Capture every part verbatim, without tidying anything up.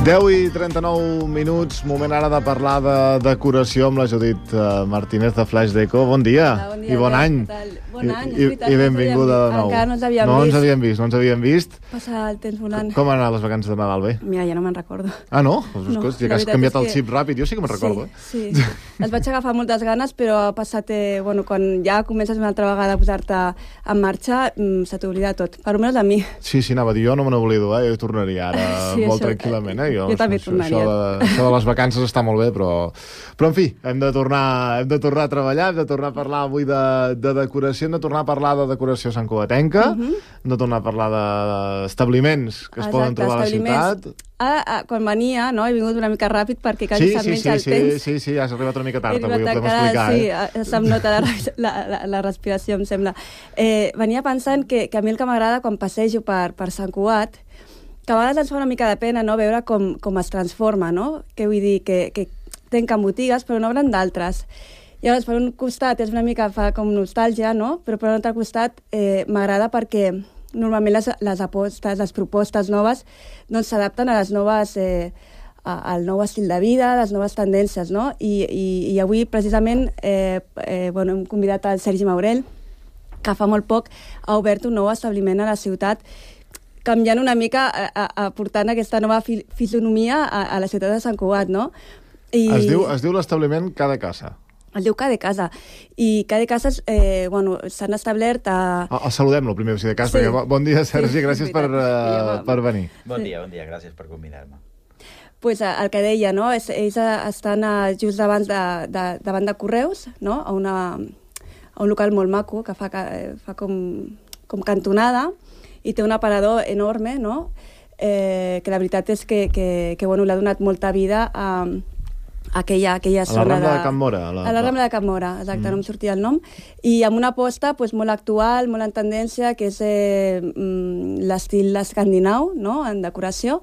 deu i trenta-nou minuts, moment ara de parlar de decoració amb la Judit Martínez de Flash Deco. Bon dia, Hola, bon dia i bon any. Bon any, I, i, i benvinguda de nou. Encara no ens havíem no vist. ens havíem vist. No ens havíem vist. Passa el temps volant. Com han anat les vacances de Nadal, bé? Mira, ja no me'n recordo. Ah, no? Pues, no ja que has canviat el xip ràpid, jo sí que me'n recordo. Sí, sí. Els vaig agafar moltes ganes, però ha passat, eh, bueno, quan ja comences una altra vegada a posar-te en marxa, mm, se t'oblida tot, per almenys a mi. Sí, sí, anava a dir, jo no me n'oblido, eh? Jo tornaria ara sí, molt això, tranquil·lament, eh? Jo, jo també això, tornaria. Això de, això de les vacances està molt bé, però... Però, en fi, hem de tornar, hem de tornar a treballar, hem de tornar a parlar avui de, de decoració, hem de tornar a parlar de decoració santcugatenca, uh -huh. hem de tornar a parlar d'establiments que es Exacte, poden trobar a la ciutat. Ah, ah, quan venia, no, he vingut una mica ràpid perquè quasi sí, se'm sí, menja sí, el sí, temps. Sí, sí, has arribat una mica tard, avui ho podem encara, explicar. Sí, eh? se'm nota la, la, la, la respiració, em sembla. Eh, venia pensant que, que a mi el que m'agrada quan passejo per, per Sant Cugat, que a vegades ens fa una mica de pena, no?, veure com, com es transforma, no? Que vull dir, que, que tanquen botigues però no obren d'altres. Llavors, per un costat és una mica, fa com nostàlgia, no? Però per un altre costat eh, m'agrada perquè normalment les, les apostes, les propostes noves doncs s'adapten a les noves, eh, a, al nou estil de vida, a les noves tendències, no? I, i, i avui, precisament, eh, eh, bueno, hem convidat el Sergi Maurel, que fa molt poc ha obert un nou establiment a la ciutat, canviant una mica, aportant aquesta nova fi, fisonomia a, a la ciutat de Sant Cugat, no? I... Es diu, es diu l'establiment Cada Casa. El diu Cada Casa. I Cada Casa eh, bueno, s'han establert a... El saludem-lo primer, si de cas, sí. perquè bon dia, Sergi, sí, gràcies per, uh, per venir. Bon dia, bon dia, gràcies per convidar-me. Pues el que deia, no? És, ells estan just davant de, de, davant de Correus, no? A, una, a un local molt maco, que fa, fa com, com cantonada, i té un aparador enorme, no? Eh, que la veritat és que, que, que bueno, l'ha donat molta vida a... aquella, aquella zona a la Rambla de, de Can Mora. A la, a la Rambla de Can Mora, exacte, mm. no em sortia el nom. I amb una aposta pues, molt actual, molt en tendència, que és eh, l'estil escandinau, no?, en decoració.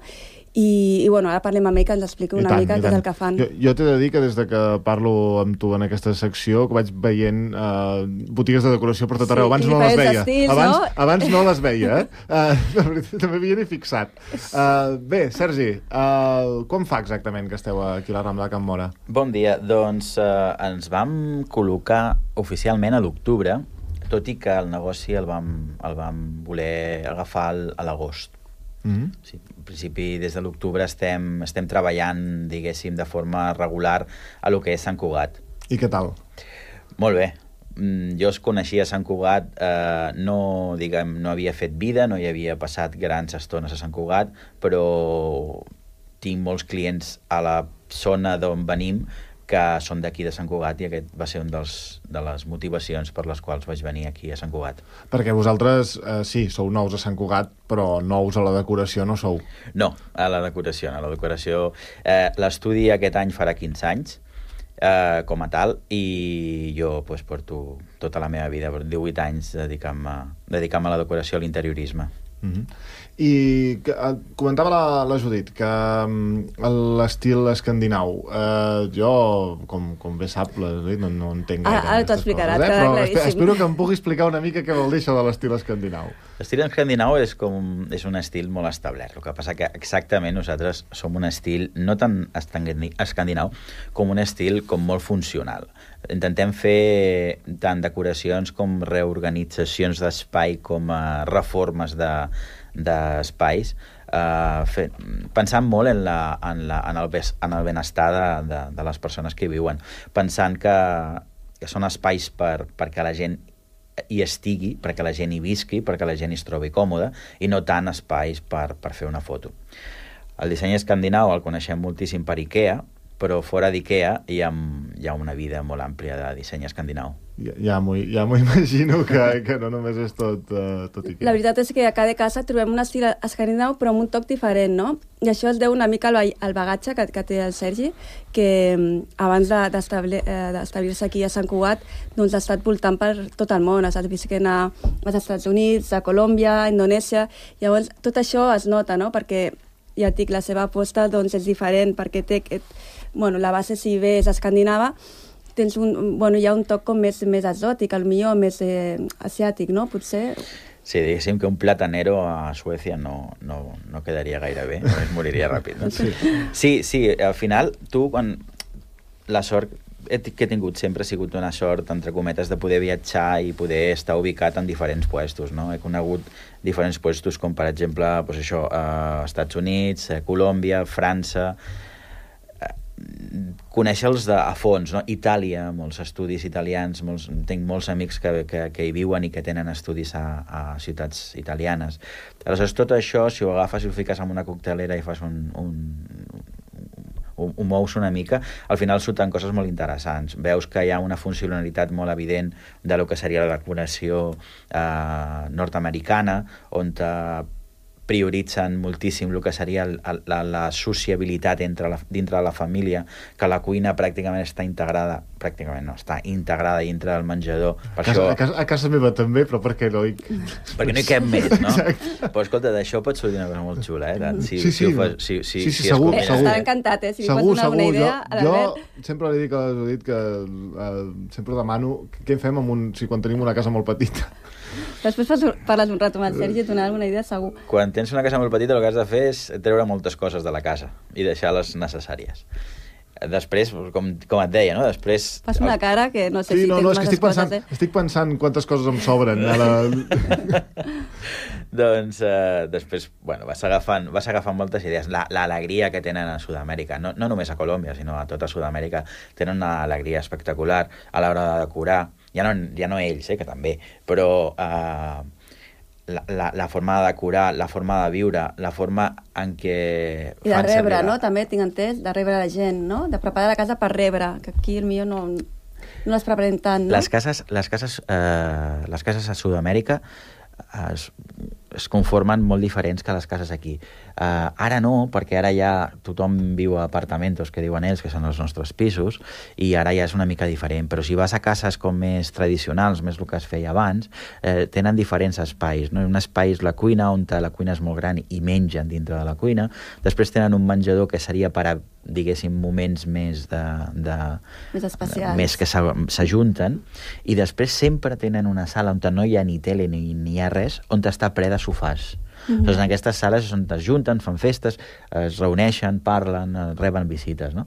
I, i bueno, ara parlem amb ell que ens expliqui una tant, mica què és el que fan. Jo, jo t'he de dir que des de que parlo amb tu en aquesta secció, que vaig veient uh, botigues de decoració per tot arreu. Abans sí, no les veia. Estils, abans, no? abans no les veia, eh? Uh, també m'havia ni fixat. Uh, bé, Sergi, uh, com fa exactament que esteu aquí a la Rambla de Can Mora? Bon dia. Doncs uh, ens vam col·locar oficialment a l'octubre, tot i que el negoci el vam, el vam voler agafar a l'agost. Mm-hmm. Sí, en principi, des de l'octubre estem, estem treballant, diguéssim, de forma regular a lo que és Sant Cugat. I què tal? Molt bé. Jo es coneixia a Sant Cugat, eh, no, diguem, no havia fet vida, no hi havia passat grans estones a Sant Cugat, però tinc molts clients a la zona d'on venim que són d'aquí de Sant Cugat, i aquest va ser un dels, de les motivacions per les quals vaig venir aquí a Sant Cugat. Perquè vosaltres, eh, sí, sou nous a Sant Cugat, però nous a la decoració no sou. No, a la decoració, no. A la decoració. Eh, l'estudi aquest any farà quinze anys, eh, com a tal, i jo pues, porto tota la meva vida, divuit anys, dedicant-me dedicant-me a la decoració, a l'interiorisme. Mm-hmm. I que, uh, comentava la, la Judit que um, l'estil escandinau, uh, jo com, com bé sap la Judit no, no entenc gaire ah, ara t'ho explicarà, coses, eh? Però espero, espero que em pugui explicar una mica què vol dir això de l'estil escandinau. L'estil escandinau és, com, és un estil molt establert, el que passa que exactament nosaltres som un estil no tan escandinau com un estil com molt funcional. Intentem fer tant decoracions com reorganitzacions d'espai com uh, reformes de d'espais, eh, fe, pensant molt en, la, en, la, en, el, en el benestar de, de, de les persones que hi viuen, pensant que, que són espais per, perquè la gent hi estigui, perquè la gent hi visqui, perquè la gent hi es trobi còmoda, i no tant espais per, per fer una foto. El disseny escandinau el coneixem moltíssim per IKEA, però fora d'IKEA hi ha, hi ha una vida molt àmplia de disseny escandinau. Ja, ja m'ho ja imagino que, que no només és tot, uh, tot IKEA. La veritat és que a Cada Casa trobem un estil escandinau però amb un toc diferent, no? I això es deu una mica al, al bagatge que, que té el Sergi, que abans d'establir-se aquí a Sant Cugat doncs ha estat voltant per tot el món, ha estat visquent als Estats Units, a Colòmbia, a Indonèsia. Llavors tot això es nota, no? Perquè ja et dic, la seva aposta doncs, és diferent, perquè té aquest, bueno, la base, si bé és escandinava, tens un, bueno, hi ha un toc com més, més exòtic, al millor més eh, asiàtic, no? Potser... Sí, diguéssim que un platanero a Suècia no, no, no quedaria gaire bé, es moriria ràpid. No? Sí. sí, sí, al final, tu, quan la sort que he tingut sempre ha sigut una sort, entre cometes, de poder viatjar i poder estar ubicat en diferents puestos, no? He conegut diferents puestos, com per exemple, pues això, eh, Estats Units, eh, Colòmbia, França... conèixer-los a fons, no? Itàlia, molts estudis italians, molts, tinc molts amics que, que, que hi viuen i que tenen estudis a, a ciutats italianes. Aleshores, tot això, si ho agafes i ho fiques en una coctelera i fas un, un, ho, ho mous una mica, al final surten coses molt interessants. Veus que hi ha una funcionalitat molt evident de lo que seria la decoració eh, nord-americana, on te prioritzen moltíssim el que seria el, la, la sociabilitat entre la, dintre de la família, que la cuina pràcticament està integrada, pràcticament no, està integrada dintre del menjador. Per a, casa, això... a, casa, a casa meva també, però per què no hi... Perquè no hi cap més, no? Exacte. Però escolta, d'això pot sortir una cosa molt xula, eh? Si, sí, sí, si ho fas, si, si, sí, sí, si segur, eh, segur. Estarà encantat, eh? Si segur, li pots donar segur, una idea jo, a l'Albert. Jo sempre li dic a Judit que uh, sempre demano què fem amb un, si quan tenim una casa molt petita. Després parles un rato amb el Sergi i et donarà alguna idea, segur. Quan tens una casa molt petita, el que has de fer és treure moltes coses de la casa i deixar-les necessàries. Després, com, com et deia, no? Després... Fas una cara que no sé sí, si no, tens no, és que estic coses, pensant, eh? estic pensant quantes coses em sobren. A la... doncs, eh, després, bueno, vas agafant, vas agafant moltes idees. L'alegria la, que tenen a Sud-amèrica, no, no només a Colòmbia, sinó a tota Sud-amèrica, tenen una alegria espectacular a l'hora de decorar. Ja no, ja no ells, eh, que també, però... Eh, La, la, la forma de decorar, la forma de viure, la forma en què... I de rebre, no? També tinc entès, de rebre la gent, no? De preparar la casa per rebre, que aquí el millor no, no les preparem tant, no? Les cases, les cases, eh, les cases a Sud-amèrica es, es conformen molt diferents que les cases aquí. Uh, ara no, perquè ara ja tothom viu a apartamentos, que diuen ells, que són els nostres pisos, i ara ja és una mica diferent. Però si vas a cases com més tradicionals, més el que es feia abans, eh, tenen diferents espais. No? Un espai és la cuina, on la cuina és molt gran i mengen dintre de la cuina. Després tenen un menjador que seria per a, diguéssim, moments més de... de més especials. Més que s'ajunten. I després sempre tenen una sala on no hi ha ni tele ni, ni hi ha res, on està ple de sofàs. Mm-hmm. Doncs en aquestes sales on es junten, fan festes, es reuneixen, parlen, reben visites, no?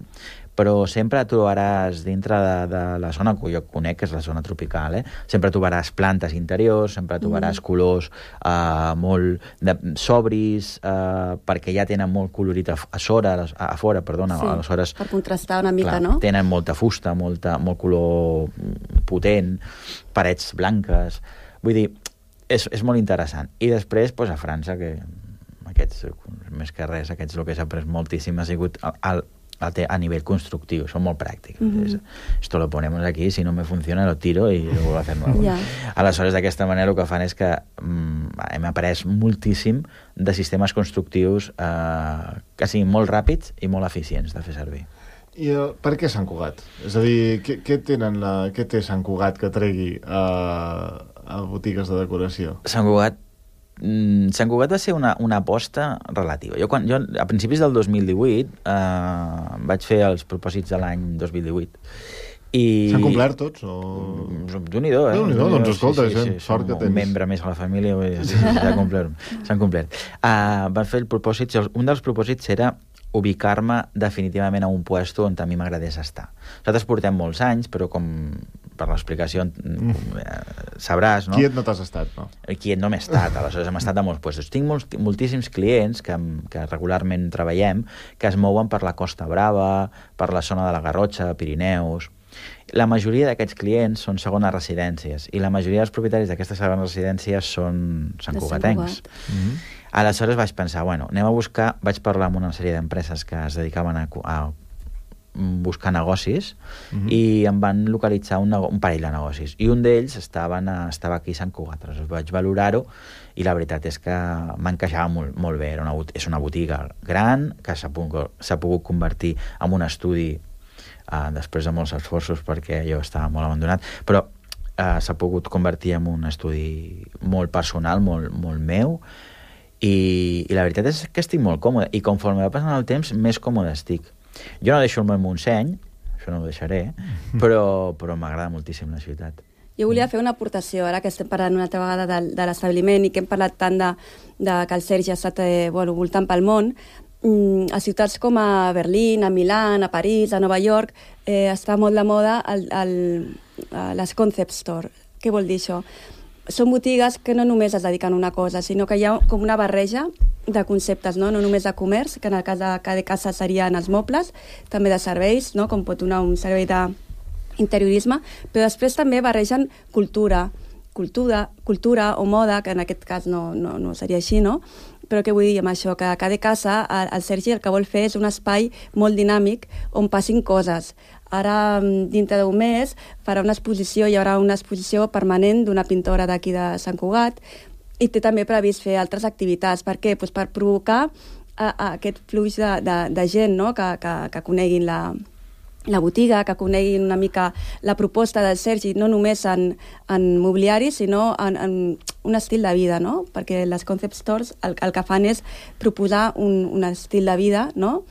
Però sempre trobaràs dintre de, de la zona que jo conec, que és la zona tropical, eh? Sempre trobaràs plantes interiors, sempre trobaràs mm. colors uh, molt de, sobris, uh, perquè ja tenen molt colorit a, a, sora, a, a fora, perdona. Sí, aleshores, per contrastar una mica, clar, no? Tenen molta fusta, molta, molt color potent, parets blanques... Vull dir, és, és molt interessant. I després, doncs, a França, que aquests, més que res, aquests el que s'ha après moltíssim ha sigut al, al, a nivell constructiu, són molt pràctics. Mm-hmm. Esto lo ponemos aquí, si no me funciona lo tiro i lo vuelvo a hacer nuevo. Yeah. Aleshores, d'aquesta manera el que fan és que mm, hem après moltíssim de sistemes constructius eh, que siguin molt ràpids i molt eficients de fer servir. I uh, per què Sant Cugat? És a dir, què, què, tenen la, què té Sant Cugat que tregui a, a botigues de decoració? Sant Cugat, mm, Sant Cugat va ser una, una aposta relativa. Jo, quan, jo a principis del dos mil divuit eh, vaig fer els propòsits de l'any dos mil divuit. I... S'han complert tots? O... Déu-n'hi-do, eh? Déu-n'hi-do, doncs escolta, sí, sí, sí, sort que tens. Un membre més a la família, sí, sí, s'han complert. S'han complert. Uh, van fer el propòsit, un dels propòsits era ubicar-me definitivament a un puesto on a mi m'agradés estar. Nosaltres portem molts anys, però com per l'explicació mm. sabràs, no? Quiet no t'has estat, no? Quiet no m'he estat, aleshores hem estat a molts puestos. Tinc molts, moltíssims clients que, que regularment treballem, que es mouen per la Costa Brava, per la zona de la Garrotxa, Pirineus. La majoria d'aquests clients són segones residències i la majoria dels propietaris d'aquestes segones residències són santcugatencs. Mm-hmm. Aleshores vaig pensar, bueno, anem a buscar... Vaig parlar amb una sèrie d'empreses que es dedicaven a, a buscar negocis mm-hmm. i em van localitzar un, un parell de negocis. I un d'ells estava, estava aquí a Sant Cugat. Aleshores vaig valorar-ho i la veritat és que m'encaixava molt, molt bé. Era una, és una botiga gran que s'ha pogut, s'ha pogut convertir en un estudi Uh, després de molts esforços perquè jo estava molt abandonat, però uh, s'ha pogut convertir en un estudi molt personal, molt, molt meu i, i la veritat és que estic molt còmode i conforme va passant el temps més còmode estic. Jo no deixo el meu Montseny, això no ho deixaré, però, però m'agrada moltíssim la ciutat. Jo volia fer una aportació, ara que estem parlant una altra vegada de, de l'establiment i que hem parlat tant de, de que el Sergi ha estat eh, bueno, voltant pel món. Mm, a ciutats com a Berlín, a Milà, a París, a Nova York, eh, està molt de moda el, el, les concept store. Què vol dir això? Són botigues que no només es dediquen a una cosa, sinó que hi ha com una barreja de conceptes, no, no només de comerç, que en el cas de cada casa serien els mobles, també de serveis, no, com pot donar un servei d'interiorisme, però després també barregen cultura, cultura, cultura o moda, que en aquest cas no, no, no seria així, no? Però què vull dir amb això? Que a cada casa el, el Sergi el que vol fer és un espai molt dinàmic on passin coses. Ara, dintre d'un mes, farà una exposició, hi haurà una exposició permanent d'una pintora d'aquí de Sant Cugat i té també previst fer altres activitats. Per què? Pues per provocar a, a aquest flux de, de, de gent, no? que, que, que coneguin la, la botiga, que coneguin una mica la proposta del Sergi, no només en, en mobiliari, sinó en, en un estil de vida, no? Perquè les concept stores el, el que fan és proposar un, un estil de vida, no?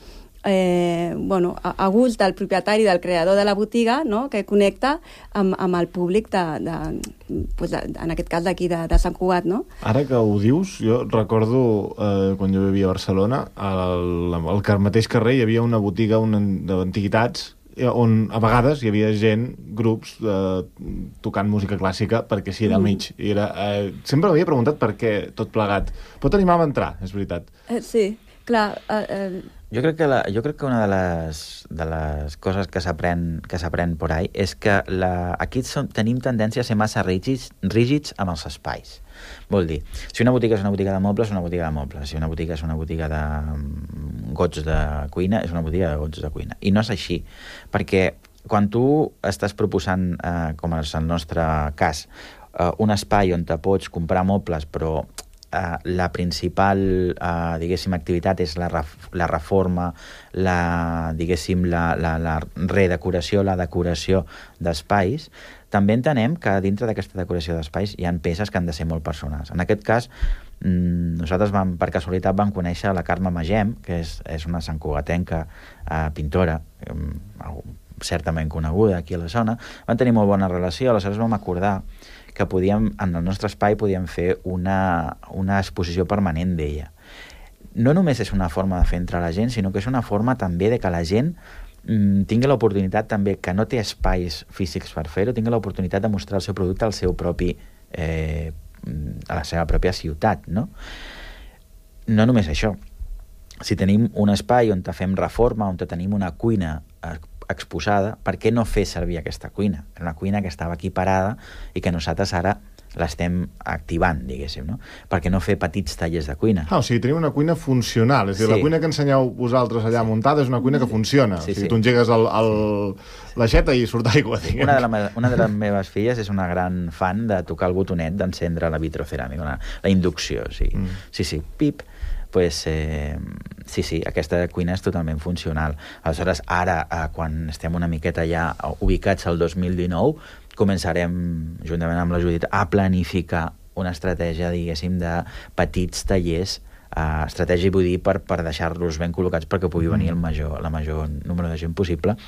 Eh, bueno, a, a gust del propietari, del creador de la botiga, no? Que connecta amb, amb el públic, de, de, pues de, en aquest cas d'aquí, de, de Sant Cugat. No? Ara que ho dius, jo recordo eh, quan jo vivia a Barcelona, al, al mateix carrer hi havia una botiga d'antiguitats on a vegades hi havia gent, grups, eh, tocant música clàssica, perquè sí, era al mig. I era, eh, sempre m'havia preguntat per què tot plegat. Pot animar a entrar, és veritat. Eh, sí, clar... Eh, eh... Jo crec que, la, jo crec que una de les, de les coses que s'aprèn que s'aprèn por ahí és que la, aquí som, tenim tendència a ser massa rígids, rígids amb els espais. Vol dir, si una botiga és una botiga de mobles, és una botiga de mobles. Si una botiga és una botiga de gots de cuina, és una botiga de gots de cuina. I no és així, perquè quan tu estàs proposant, eh, com és el nostre cas, eh, un espai on te pots comprar mobles, però Uh, la principal, uh, diguéssim, activitat és la, ref la reforma, la, diguéssim, la, la, la redecoració, la decoració d'espais, també entenem que dintre d'aquesta decoració d'espais hi ha peces que han de ser molt personals. En aquest cas, mmm, nosaltres vam, per casualitat vam conèixer la Carme Magem, que és, és una santcugatenca uh, pintora, um, certament coneguda aquí a la zona. Van tenir molt bona relació, aleshores vam acordar que podíem, en el nostre espai podíem fer una, una exposició permanent d'ella. No només és una forma de fer entrar la gent, sinó que és una forma també de que la gent mmm, tingui l'oportunitat també, que no té espais físics per fer-ho, tingui l'oportunitat de mostrar el seu producte al seu propi, eh, a la seva pròpia ciutat, no? No només això. Si tenim un espai on fem reforma, on tenim una cuina exposada, per què no fer servir aquesta cuina? Era una cuina que estava aquí parada i que nosaltres ara l'estem activant, diguéssim, no? Per què no fer petits tallers de cuina? Ah, o sigui, tenim una cuina funcional. És a dir, sí. La cuina que ensenyeu vosaltres allà sí. muntada és una cuina que funciona. Sí, o sigui, sí. Tu engegues el, el, sí. l'aixeta i surt aigua, diguem. Una de, la, una de les meves filles és una gran fan de tocar el botonet d'encendre la vitroceràmica, la, la inducció, sí. Mm. Sí, sí, pip. Pues, eh, sí, sí, aquesta cuina és totalment funcional. Aleshores, ara, eh, quan estem una miqueta ja ubicats al dos mil dinou, començarem, juntament amb la Judit, a planificar una estratègia, diguéssim, de petits tallers, eh, estratègia, vull dir, per, per deixar-los ben col·locats perquè pugui venir el major, la major número de gent possible,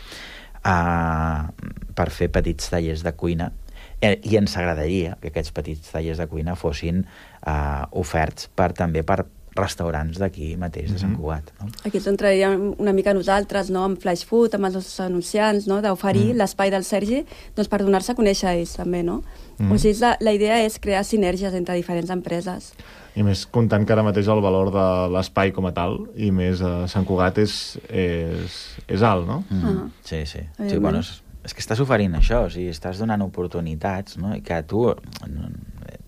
eh, per fer petits tallers de cuina. I ens agradaria que aquests petits tallers de cuina fossin eh, oferts per, també per restaurants d'aquí mateix, de Sant Cugat. No? Aquí ens entraríem una mica nosaltres, no? Amb Flash Food, amb els nostres anunciants, no? D'oferir mm. l'espai del Sergi doncs, per donar-se a conèixer a ells també, no? Mm. O sigui, la, la idea és crear sinergies entre diferents empreses. I més comptant que ara mateix el valor de l'espai com a tal, i més a Sant Cugat és, és, és alt, no? Mm. Ah. Sí, sí. sí bueno, és, és que estàs oferint això, o sigui, estàs donant oportunitats, no? I que tu...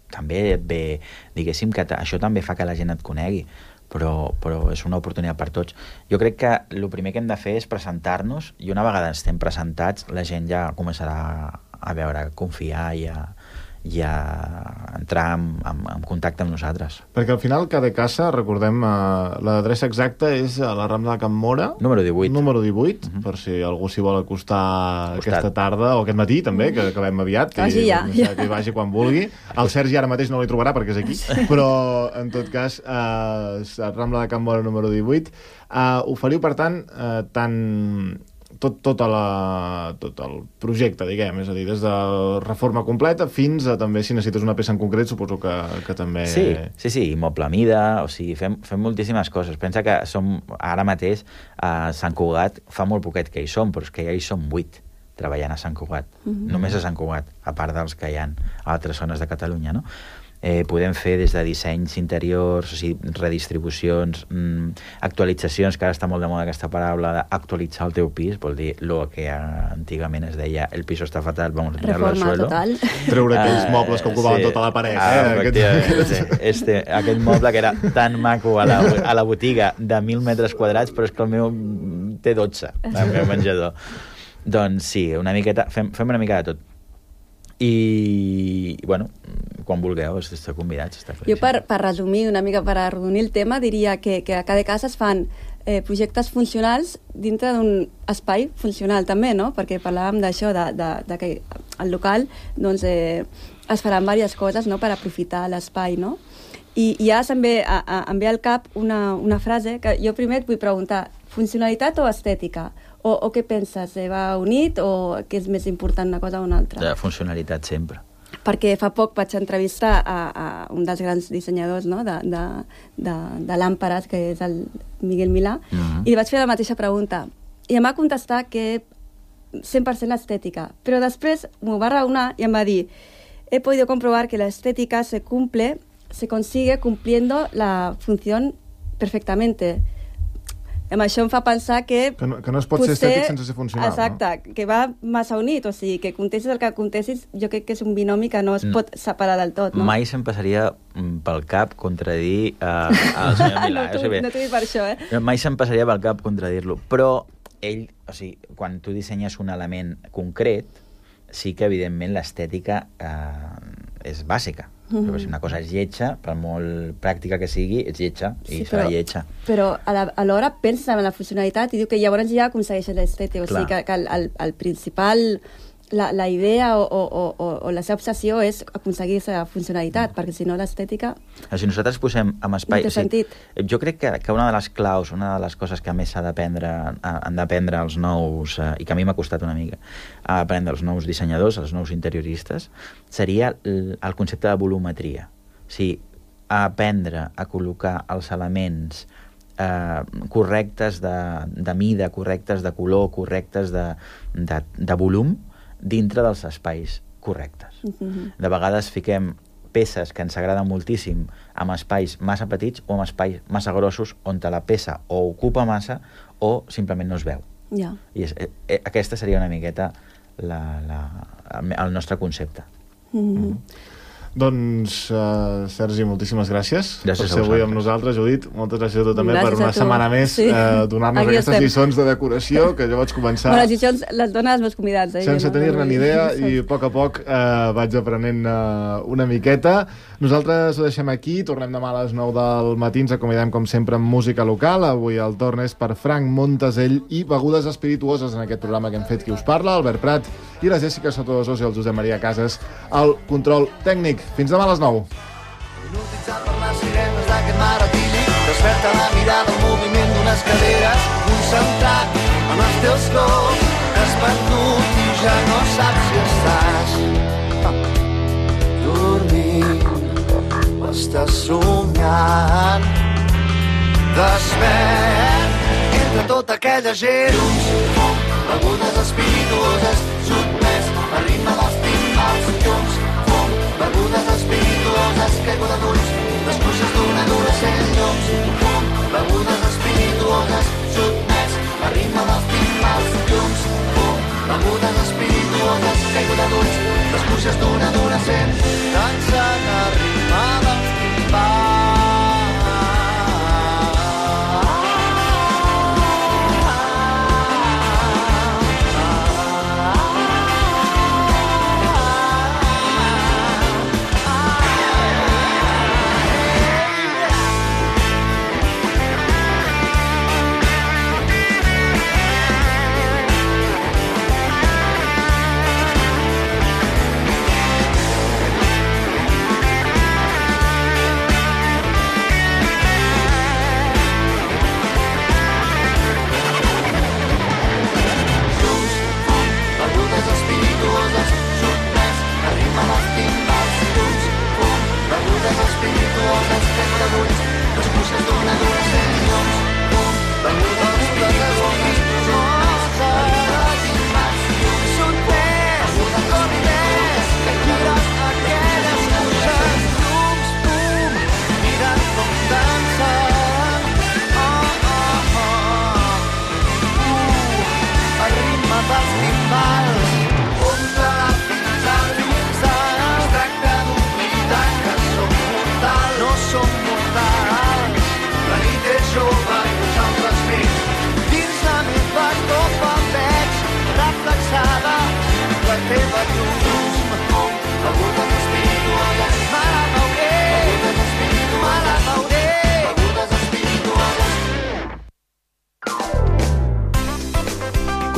també ve, diguéssim que això també fa que la gent et conegui, però, però és una oportunitat per tots. Jo crec que el primer que hem de fer és presentar-nos, i una vegada estem presentats la gent ja començarà a veure, a confiar i a, i a entrar en, en, en contacte amb nosaltres. Perquè al final cada casa, recordem, eh, l'adreça exacta és a la Rambla de Can Móra, número divuit, número divuit uh-huh. per si algú s'hi vol acostar Costat. aquesta tarda o aquest matí també, que acabem aviat, que, vagi ja. que, que hi vagi quan vulgui. El Sergi ara mateix no l'hi trobarà perquè és aquí, però en tot cas eh, Rambla de Can Móra número divuit. Eh, oferiu per tant eh, tant tot, tota la, tot el projecte, diguem, és a dir, des de reforma completa fins a també, si necessites una peça en concret, suposo que, que també... Sí, sí, sí, moble a mida, o sigui, fem, fem moltíssimes coses. Pensa que som, ara mateix, a Sant Cugat, fa molt poquet que hi som, però és que ja hi som vuit treballant a Sant Cugat, mm-hmm. només a Sant Cugat, a part dels que hi ha a altres zones de Catalunya, no? Eh, podem fer des de dissenys interiors, o sigui, redistribucions, mmm, actualitzacions, que ara està molt de moda aquesta paraula d'actualitzar el teu pis, vol dir lo que antigament es deia el piso està fatal, vamos a tirarlo al suelo. Total. Treure aquells uh, mobles que ocupaven sí. tota la paret. Ah, eh? Efectivament, sí. Este, aquest moble que era tan maco a la, a la botiga de mil metres quadrats, però és que el meu té dotze, el meu menjador. Doncs sí, una miqueta, fem, fem una mica de tot. I, bueno, quan vulgueu, esteu convidats. Està jo, per, per resumir, una mica per arrodonir el tema, diria que, que a cada casa es fan eh, projectes funcionals dintre d'un espai funcional també, no? Perquè parlàvem d'això, de, de, de que al local doncs, eh, es faran diverses coses, no?, per aprofitar l'espai, no? I, i ara se'm ve, a, a, em ve al cap una, una frase que jo primer et vull preguntar, funcionalitat o estètica? O, o què penses? Eh, va unit o què és més important una cosa o una altra? De funcionalitat sempre. Perquè fa poc vaig entrevistar a, a un dels grans dissenyadors, no?, de, de, de, de làmperes, que és el Miguel Milà, mm-hmm. i li vaig fer la mateixa pregunta. I em va contestar que cent per cent estètica. Però després m'ho va raonar i em va dir he podido comprobar que la estética se cumple, se consigue cumpliendo la función perfectamente. Amb això em fa pensar que... Que no, que no es pot potser, ser estètic sense ser funcional, exacte, no? Que va massa unit, o sigui, que contestis el que contestis, jo crec que és un binomi que no es pot separar del tot, no? Mai se'm passaria pel cap contradir uh, al senyor Milà. no, tu, no t'ho dic per això, eh? Mai se'm passaria pel cap contradir-lo, però ell, o sigui, quan tu dissenyes un element concret, sí que, evidentment, l'estètica eh, és bàsica. Mm-hmm. Però si una cosa és lletja, per molt pràctica que sigui, és lletja, i sí, serà però, lletja. Però alhora penses en la funcionalitat i diu que llavors ja aconsegueixes l'estètica. O sigui que, que el, el, el principal... La, la idea o, o, o, o la seva obsessió és aconseguir aquesta funcionalitat, perquè si no l'estètica... Si nosaltres posem en espai... No té sentit. O sigui, jo crec que, que una de les claus, una de les coses que més s'ha d'aprendre, han d'aprendre els nous, eh, i que a mi m'ha costat una mica, aprendre els nous dissenyadors, els nous interioristes, seria el, el concepte de volumetria. O sigui, aprendre a col·locar els elements eh, correctes de, de mida, correctes de color, correctes de, de, de volum, dintre dels espais correctes. Uh-huh. De vegades fiquem peces que ens agraden moltíssim amb espais massa petits o amb espais massa grossos on la peça o ocupa massa o simplement no es veu. Yeah. I és, eh, aquesta seria una miqueta la, la, el nostre concepte. Uh-huh. Mm. Doncs, uh, Sergi, moltíssimes gràcies, gràcies per ser avui amb nosaltres. Judit, moltes gràcies a tu també gràcies per una setmana més sí. uh, donar-nos Aquí aquestes estem. lliçons de decoració que jo vaig començar... Bueno, les lliçons les donen els meus convidats. Eh? Sense no, tenir-ne ni idea i a poc a poc uh, vaig aprenent uh, una miqueta. Nosaltres ho deixem aquí, tornem demà a les nou del matí, ens acomiadem com sempre amb música local. Avui el torn és per Frank Montesell i begudes espirituoses en aquest programa que hem fet qui us parla, Albert Prat i la Jessica Sotodosos i el Josep Maria Casas al control tècnic. Fins demà a les nou. Hipnotitzat per les sirenes d'aquest mar etílic, desperta la mirada al moviment d'unes caderes, concentrat en els teus cops, has perdut i ja no saps si estàs dormint o estàs somiant. Despert entre tota aquella gent, begudes espirituoses, sotmès al ritme dels timbals llums, begudes espirituoses, caiguda d'ulls, les cuixes d'un adolescent llums, begudes espirituoses, sotmès al ritme dels timbals llums, begudes espirituoses, caiguda d'ulls, les cuixes d'un adolescent, dansen al ritme dels timbals.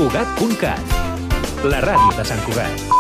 Cugat punt cat, la ràdio de Sant Cugat.